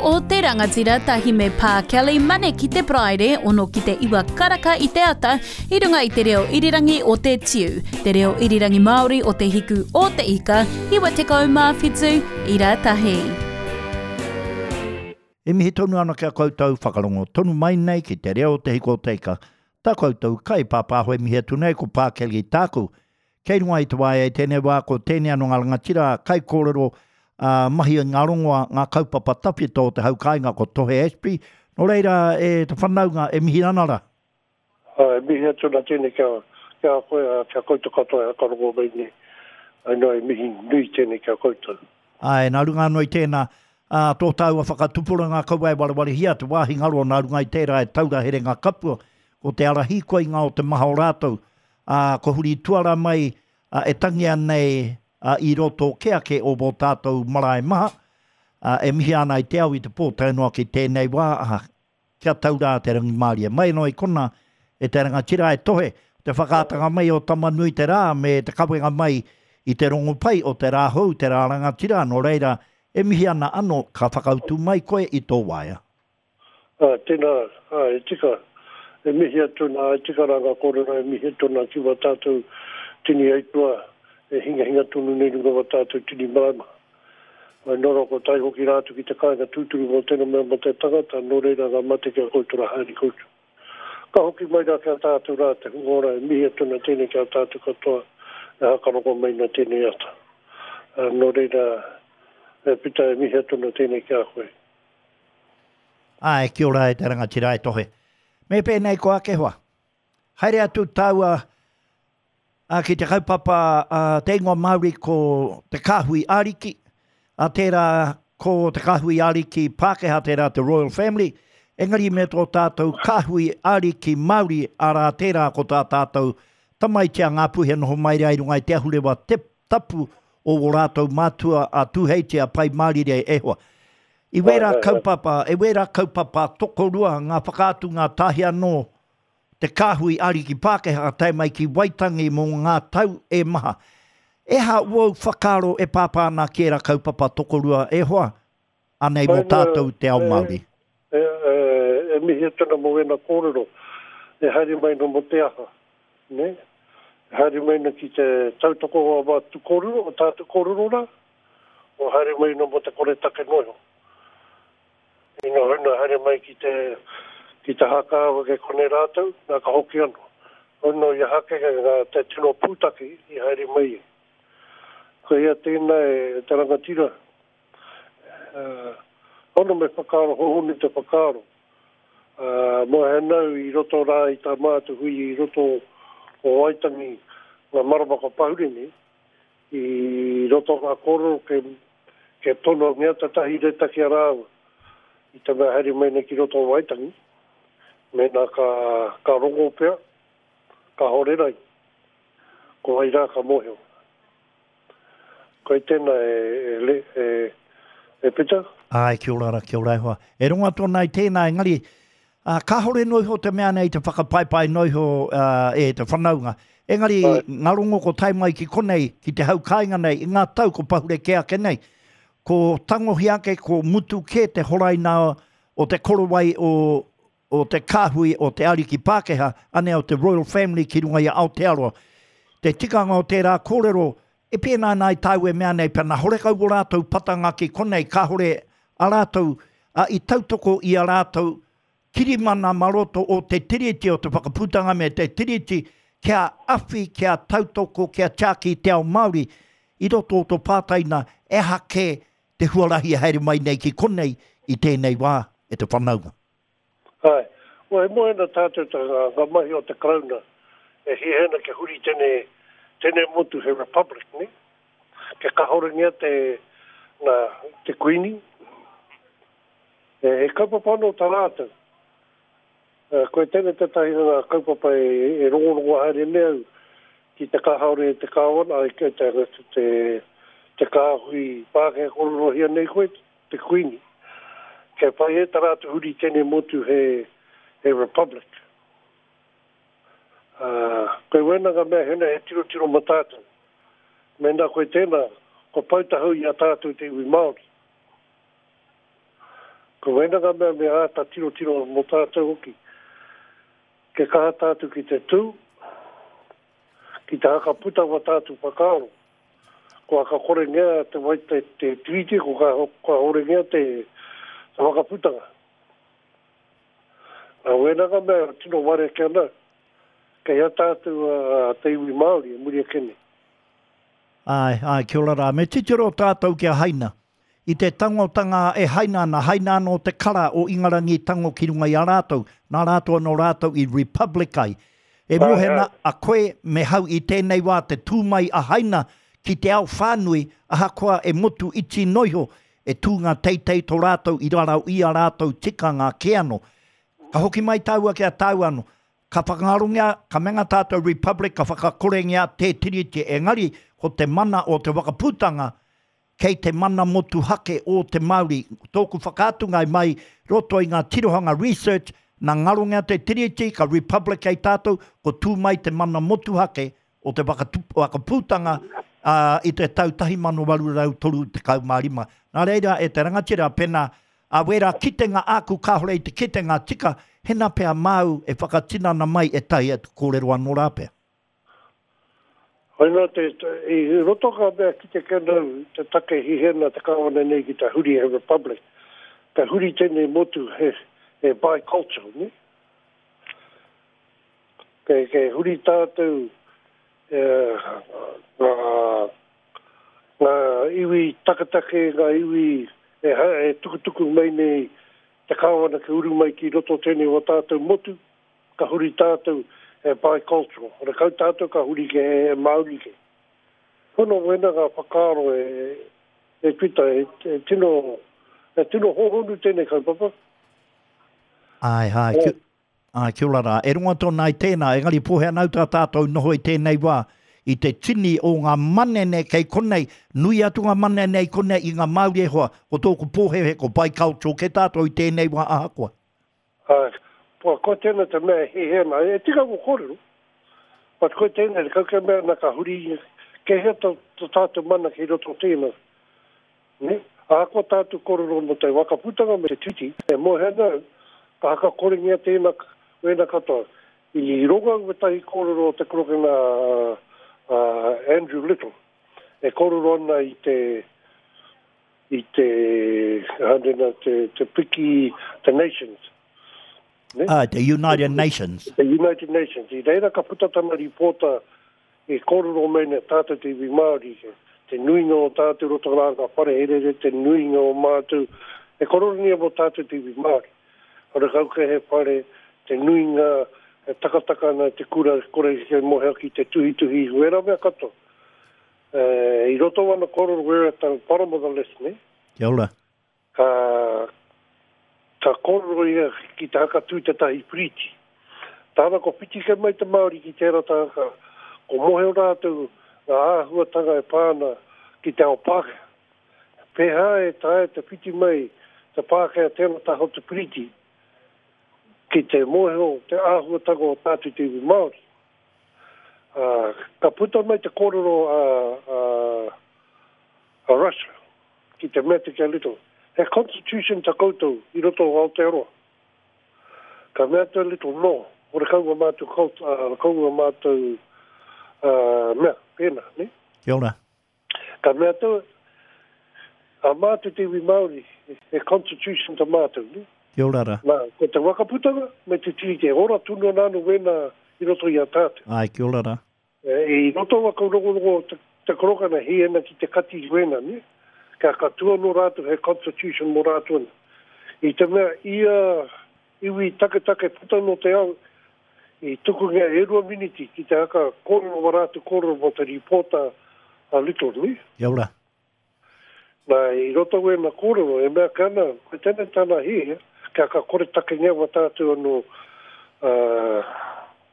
o te Rangatira tahi me Pā Kelly Mane ki te Paraire, ono ki te iwa karaka i te ata, i runga i te reo irirangi o te Tiu, te reo irirangi Māori o te Hiku o te Ika, 97 ira tahi. E mihi tonu ana ki a koutou, whakarongo tonu mai nei ki te reo o te Hiku o te Ika. Tā koutou kaipāpāho e mihi atu nei ko Pā Kelly tāku. Kei runga i te waea i tēnei wā ko tēnei anō ngā rangatira kaikōrero ā, mahi i ngā rongoa, ngā kaupapa tawhito o te hau kāinga ko Tohe Ashby. Nō reira e te whanaunga e mihi ana rā. Ā, e mihi atu ana tēnei ki a, ki a koe, ā, ki a koutou katoa e whakarongo mai nei. Āe noa, e mihi nui tēnei ki a koutou. Āe, nā runga anō i tēnā, ā, tō tāua whakatupuranga kaua e warewarehia te wāhi ngaro nā runga i tērā e taura herenga kapua, ko te ara hīkoinga o te maha o rātou, ā, kua huri tuara mai, ā, e tangi nei, ā, i roto kē ake o wō tātou marae maha, ā, e mihia ana i te ao i te pō tae noa ki tēnei wā, ā, kia tau rā te rangimārie. Mai anō i konā, e te rangatira e tohe, te whakaatanga mai o Tama-nui-te-rā me te kawenga mai i te rongopai o te rā hou, te rā rangatira, nō reira, e mihi ana anō, ka whakautu mai koe i tō waea. Ā, tēnā, ā, e tika, e mihi atu ana, e tika rā ngā kōrero e mihi atu ana ki wā tātou tini aituā e hingahinga tonu nei runga wā tātou tini marae maha. Ā, nō rā kua tae hoki rā atu ki te kāinga tūturu mō tēnā mea mō te tangata, nō reira ngā mate ki a koutou rā haere koutou. Ka hoki mai rā ki a tātou rā te hunga ora e mihi atu ana tēnei ki a tātou katoa e hakarongo mai ana tēnei ata. Ā, nō reira, e Pita e mihi atu ana tēnei ki a koe. Āe, kia ora e te rangatira e Tohe. Me pēnei ko ake hoa. Haere atu tāua a, ki te kaupapa a, te ingoa Māori ko Te Kāhui Ariki, a tērā ko Te Kāhui Ariki Pākehā tērā te Royal Family, engari me tō tātou Kāhui Ariki Māori, arā tērā ko tā tātou tamaiti a Ngāpuhi e noho mai rā i runga i te ahurewa te tapu o wō rātou mātua a Tūheitia, a Pai Mārire e hoa. I wērā kaupapa, e wērā kaupapa tokorua ngā whakaatunga tahi anō te kāhui ariki Pākehā ka tae mai ki Waitangi mō ngā tau e maha. E aha wōu whakaaro e pāpā ana ki ērā kaupapa tokorua e hoa, anei mō tātou te ao Māori? E, e, e mihi atu ana mō wēnā kōrero, e haere mai ana mō te aha, nē? E haere mai ana ki te tautoko o ā mātou kōrero, o tātou kōrero rā, o haere mai ana mō te koretake noa iho. Ina huna haere mai ki te, ki te hākāwa kei konei rātou, nā ka hoki anō. Ono i a Hakeke ngā te tino pūtake i haere mai ai. Ko hea tēnā e te rangatira? Uh, ono me whakaaro hohonu te whakaaro. Uh, mō he nau i roto rā i tā mātou hui i roto o Waitangi ngā marama kua pahure nei, I roto ngā kōrero ke, ke tono ngia tētahi reta ki a rāua i te mea haere mai nei ki roto o Waitangi, mēnā ka, ka rongo pea, kāore rai, ko wai rā ka mōhio. Koe tēnā e, e, e, e, e Peter? Āe, kia ora ra, kia ora e hoa. E rongo atu ana i tēnā, engari, ā, kāore noa iho te mea nei te whakapaepae noa iho e te whanaunga. Engari, ngā rongo ko tae mai ki konei, ki te hau kāinga nei, i ngā tau ko pahure kē ake nei, ko tangohia ake, ko mutu kē te horaina o te korowai o, o te kāhui o te ariki Pākehā, anei o te Royal Family ki runga i a Aotearoa. Te tikanga o tērā kōrero, E pēnā ana ai tāu e mea nei, pena horekau o rātou patanga ki konei, kāhore a rātou, a, i tautoko i a rātou kirimana mā roto o te Tiriti, o te Whakaputanga me te Tiriti, kia awhi, kia tautoko, kia tiaki i te ao Māori, i roto o tō pātai nā, e aha kē te huarahi e haere mai nei ki konei i tēnei wā e te whanaunga? Āe. Ua, e moe ana tātou ta ngā, ngā mahi o te Karauna e hiahia ana kia huri tēnei, tēnei motu he republic, nē? Kia kahorengia te, nā, te Kuini. E, he kaupapa anō tā rātou. Uh, koe tēnei tētahi o ngā kaupapa e, e rongorongo haere nei au ki te kahaore e te kāwana, ai, te, te, te, te kāhui Pākehā kōrerohia nei koe, te Kuini. Kia whai e ta ratou huri tenei motu he he republic. A, koe wena nga mea hena he tirotiro mo tatou. Mena koe tena, kua pau tahau i a tatou te iwi Maori. Ko wēnā ngā mea me āta tirotiro mō tātou hoki. Kia kaha tātou ki te tū, ki te hakaputa wā tātou whakaaro. Kua whakakorengia te wai te, te tiriti, kua whakahorengia te, te whakaputanga. Nā wēnā ngā mea tino ware ake ana, kei hea tātou a te iwi Māori e muri ake nei. Āe, āe, kia ora rā. Me titiro tātou ki a Haina. I te tangotanga e haina ana, haina anō te kara o Ingarangi i tango ki runga i a rātou, nā rātou anō rātou i republic ai. E mohena a koe me hau i tēnei wā te tū mai a Haina ki te ao whānui, ahakoa e motu iti noiho, e tū ngā teitei tō rātou i rarau i a rātou tikanga kē anō. Ka hoki mai tāua ki a tāua anō. Ka whakangarongia, ka menga tātou republic, ka whakakorengia tē tiriti, engari ko te mana o te wakaputanga Kei te mana motuhake ō te Māori. Tōku whakaatunga i mai roto i ngā tirohanga research, nā ngarongia te Tiriti, ka Republic kei tātou, ko tū mai te mana motuhake o te whakaputanga i te tau 1835. Nā reira, e te rangatira, pena a wērā kitenga āku kāore i te kitenga tika, hena pea māu e whakatinana mai ētahi atu kōrero anō rā pea. Koina te, i roto ka mea ki te kenau te take hihena te kawana nei ki te huri he republic. Ka huri tenei motu he, he bicultural, ne? Kei, kei huri tātou e, ngā, ngā iwi taketake, ngā iwi e, e tukutuku mai nei te kāwana ki uru mai ki roto tēnei o tātou motu. Ka huri tātou he bicultural. Horekau tātou ka huri ke he Māori ke. Pono wena ngā whakaaro e, e Pita, e, e tino, e tino hōhonu tēnei kaupapa. Āe, āe, oh. āe, kia ora rā. E rongo tōna ai tēnā, engari pōhea nau tā tātou noho i tēnei wā, i te tini o ngā manene kei konei, nui atu ngā manene i konei i ngā Māori e hoa, ko tōku pōhēhē ko bicultural kē tātou i tēnei wā ahakoa. Āe, ko tēnei te mea e hēhē ana, e tika ngō kōrero, but koe tēnei, kau ke mea ana ka huri, kei hea tō tātou mana kei roto o tēnā, nē? Ahakoa tātou kōrero mō te whakaputanga me te tiriti, e moe ana au, ka hakakorengia tēnā, wēnā katoa. I rongo au wētahi kōrero o te korokena a Andrew Little, e kōrero ana i te, i te, hanena, te, te piki, the nations. Ne? Ah, te United Nations. Te United Nations. I reira ka puta tana ripōta e kōrero mai nei tātou te iwi Māori, te nuinga o tātou roto rā ngā whare herere, te nuinga o mātou, e kōreronia mō tātou te iwi Māori. Horekau kē he whare, te nuinga e takataka ana te kura, kore e moheo ki te tuhituhi, wērā mea katoa. I roto wana kōrero we're at the bottom of the list, ne? Kia ora. Ka, ka kōrero ia ki te hakatū tētahi piriti. Tāna ko whiti kē mai te Māori ki tērā taha, ko moheo rātou ngā āhuatanga e pā ana ki te ao Pākehā. Pēhā e taea te whiti mai te Pākehā tērā taha o te piriti ki te moheo te āhuatanga o tātou te iwi Māori. Ā, ka puta mai te kōrero a, a, a Russia ki te mea atu ki a Little, he constitution ta koutou i roto o Aotearoa. Ka mea atu a Little, no, horekau nga mātou cult, ā, horekau nga mātou, ā, mea, pēnā, ne? Kia ora. Ka mea atu, a mātou te iwi Māori, he constitution ta mātou, ne? Kia ora ra. Nā, ko te wakaputanga me te tiriti, e ora tonu ana ano wēnā i roto i a tātou. Āe, kia ora ra. E, i roto wa kaurongorongo te, te korokana hī ana ki te kati i wēnā, ne? Kia ka tū anō rātou he constitution mō rātou ana. I te mea, ia iwi taketake puta no te ao, i tukungia e rua miniti ki te haka kōrero wa rātou kōrero mō te rīpōta a Little, ne? Kia ora. Nā, i roto wēnā kōrero, e mea ake ana, koe tēnei tāna hiahia, kia ka koretakengia wa tātou anō, ā,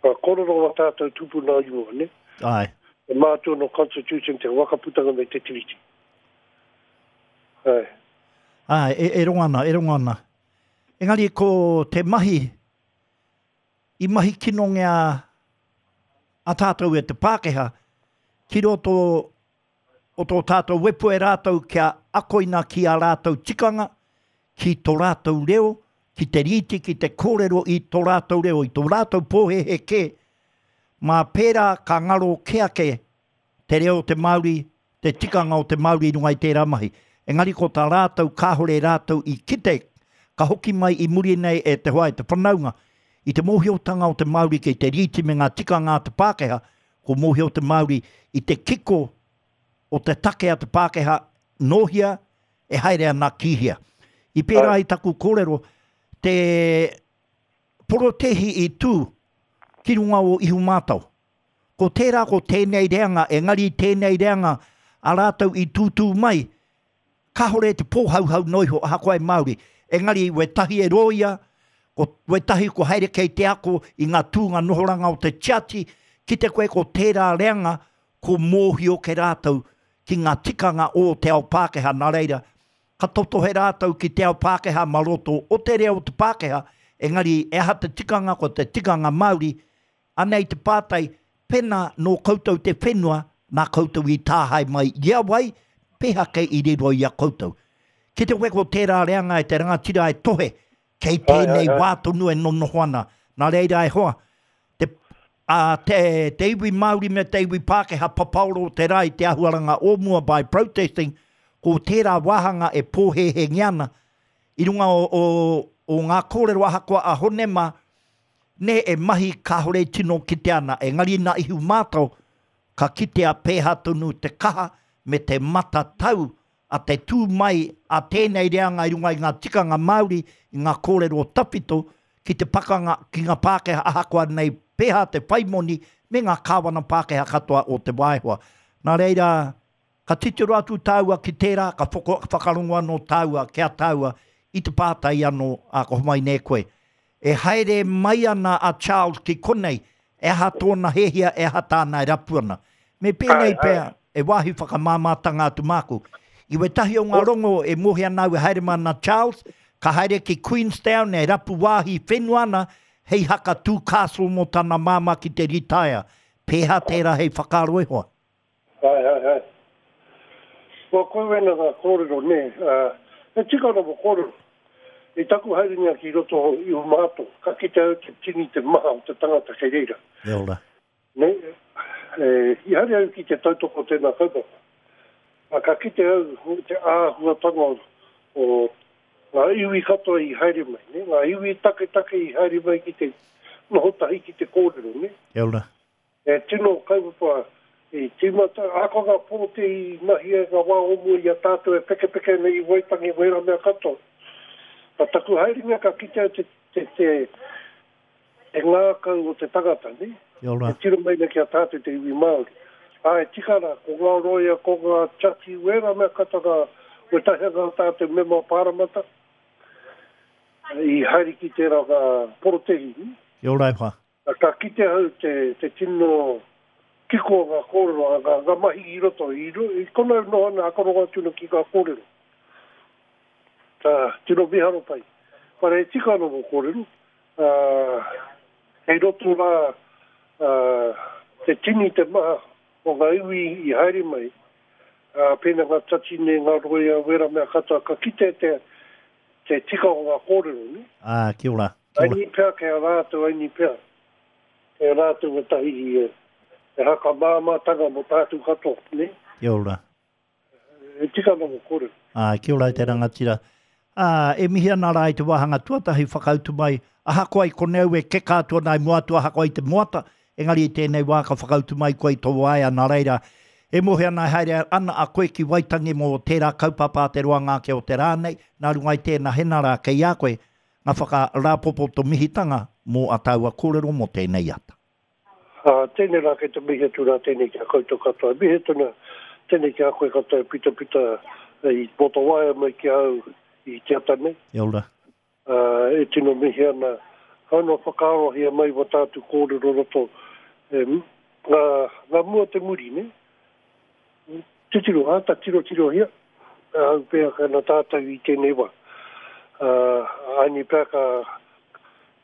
ngā kōrero wa tātou tūpuna i mua, ne? Āe. E mātua anō Constitution te wakaputanga me te Tiriti. Āe. Āe, e, e rongo ana, e rongo ana. Engari ko te mahi, i mahi kinongia a tātou e te Pākehā ki roto o tō tātou wepu e rātou kia akoina ki ā rātou tikanga, ki tō rātou reo, ki te rīti, ki te kōrero i tō rātou reo, i tō rātou pōhēhē kē, mā pērā ka ngaro kē ake te reo o te Māori, te tikanga o te Māori i runga i tērā mahi. Engari ko tā rātou kāore rātou i kite, ka hoki mai i muri nei e te hoa e te whanaunga, i te mōhiotanga o te Māori kei te rīti me ngā tikanga a te Pākehā, ko mōhio te Māori i te kiko o te take a te Pākehā nōhia e haere ana ki hea. I pērā i taku kōrero, te porotēhi i tū ki runga o Ihumātao. Ko tērā ko tēnei reanga, engari tēnei reanga a rātou i tūtū mai, kāore te pōhauhau noa iho ahakoa e Māori, engari wētahi e rōia, ko wētahi ko haere kei te ako i ngā tūnga nohoranga o te tiati, kite koe ko tērā reanga ko mōhio ke rātou ki ngā tikanga o te ao Pākehā, nā reira, ka totohe rātou ki te ao Pākehā mā roto o te reo o te Pākehā, engari e aha te tikanga, ko te tikanga Māori, Anei te pātai, pena nō koutou te whenua, nā koutou i tāhae mai i a wai, peha kei i riro i a koutou? Ki te weko tērā reanga e te rangatira e tohe, kei tēnei wā tonu e nonoho ana. Nā reira e hoa, te, a, te, te iwi Māori me te iwi Pākehā papaoro o te rā i te ahuaranga o mua by protesting, ko tērā wāhanga e pōhēhēngia ana i runga o, o, o ngā kōrero ahakoa a Hone mā, Nē, e mahi kāore e tino kitea ana, engari nā Ihumātao ka kitea pēhā tonu te kaha me te matatau a te tū mai a tēnei reanga i runga i ngā tikanga Māori, i ngā kōrero tawhito ki te pakanga ki ngā Pākehā ahakoa nei pēhā te whai moni me ngā kāwana Pākehā katoa o te wā e hoa. Nā reira, Ka titiro atu tāua ki tērā, ka whakarongo anō tāua ki a tāua i te pātai anō, ā, ka homai nei koe. E haere mai ana a Charles ki konei, e aha tōna hēhia, e aha tāna e rapu ana. Me pēnei pea, e wāhi whakamāmātanga atu māku. I wētahi o ngā rongo e mōhio ana au e haere mai ana Charles, ka haere ki Queenstown e rapu wāhi whenua ana hei haka tū castle mō tana māmā ki te ritaea. Pēhā tērā hei whakaaro e hoa? Ae, ae, ae. Kua koe wena nga korero, ne. E tika ana mo korero. I taku haerenga ki roto i Umato, ka kite au te tini te maha o te tangata kei reira. E ora. Ne, e, i haere au ki te tautoko tena kaupapa. A ka kite au te āhuatanga o nga iwi katoa i haere mai, ne, nga iwi taketake i haere mai ki te noho tahi ki te kōrero, ne. E ora. He tino kaupapa i tīmata, ahakoa ngā pōti i mahia i ngā wā o mua i a tātou e pekepeke ana i Waitangi wērā mea katoa. Nā taku haerenga ka kitea te, te, te, te ngākau o te tangata, nē? Kia ora. E tiro mai nei ki a tātou te iwi Māori. Ā, e tika ana, ko ngā roia, ko ngā tiati, wērā mea katoa ngā, wētahi o ngā tātou mema pāremata i haere ki tērā ngā porotēhi, nē? Kia ora e hoa. Ka kite ahau te, te tino kiko o ngā kōrero, a ngā, ngā mahi i roto, i, i kona e noho ana akarongo atu ana ki ngā kōrero. Ka tino miharo pai. Whare e tika ana mō kōrero, ā, kei roto rā, ā, te tini te maha o ngā iwi i haere mai, ā, pēnā ngā tatine, ngā roia, wērā mea katoa, ka kite te, te tika o ngā kōrero, nē? Ā, kia ora, kia ora. Aini pea kei a rātou, aini pea kei a rātou ētahi e hakamāmātanga mō tātou katoa, nē? Kia ora. E tika ana ngō kōrero. Ā, kia ora e te rangatira. Ā, e mihi ana rā i te wāhanga tuatahi whakautu mai, ahakoa i konei au e keka atu ana i mua atu ahakoa i te moata, Engari i tēnei wā ka whakautu mai koe i tō waea, nā reira, e mōhio ana e haere ana a koe ki Waitangi mō tērā kaupapa a te roanga ake o te rā nei, nā runga i tēnā hena rā kei a koe ngā whakarāpopoto mihitanga mō a tāua kōrero mō tēnei ata. Ā, tēnei rā kei te mihi atu rā tēnei ki a koutou katoa. E mihi atu ana tēnei ki a koe katoa e pitapita i mō tō waea mai ki a au i te ata nei. Kia ora. Ā, e tino mihi ana, hau noa whakaarohia mai wā tātou kōrero roto, e, ngā, ngā mua te muri, nē? Titiro, āta tirotirohia, ahau pea ka na tātou i tēnei wā. Ā, aini pea ka,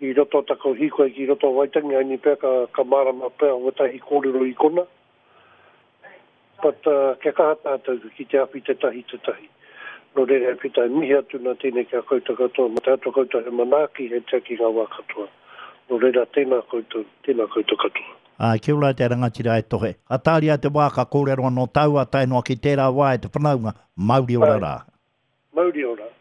i roto taku hīkoi ki roto o Waitangi, aini pea ka, ka mārama pea wētahi kōrero i kona. But, uh, kia kaha tātou ki te awhi tētahi tētahi. Nō reira e Pita, e mihi atu nā tēnei ki a koutou katoa, mā te Atua koutou he manaaki, he tiaki i ngā wā katoa. Nō reira, tēnā koutou, tēnā koutou katoa. Āe, kia ora te rangatira e Tohe. Ka tāria te wā ka kōrero anō tāua tae noa ki tērā wā e te whanaunga, mauri ora rā. Mauri ora.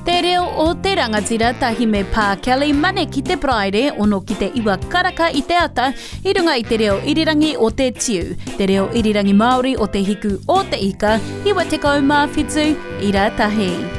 Te reo o te rangatira tahi me Pā Kelly Mane ki te Paraire ono ki te iwa karaka i te ata i runga i te reo irirangi o te Tiu, te reo irirangi Māori o te hiku o te ika, 97 ira tahi.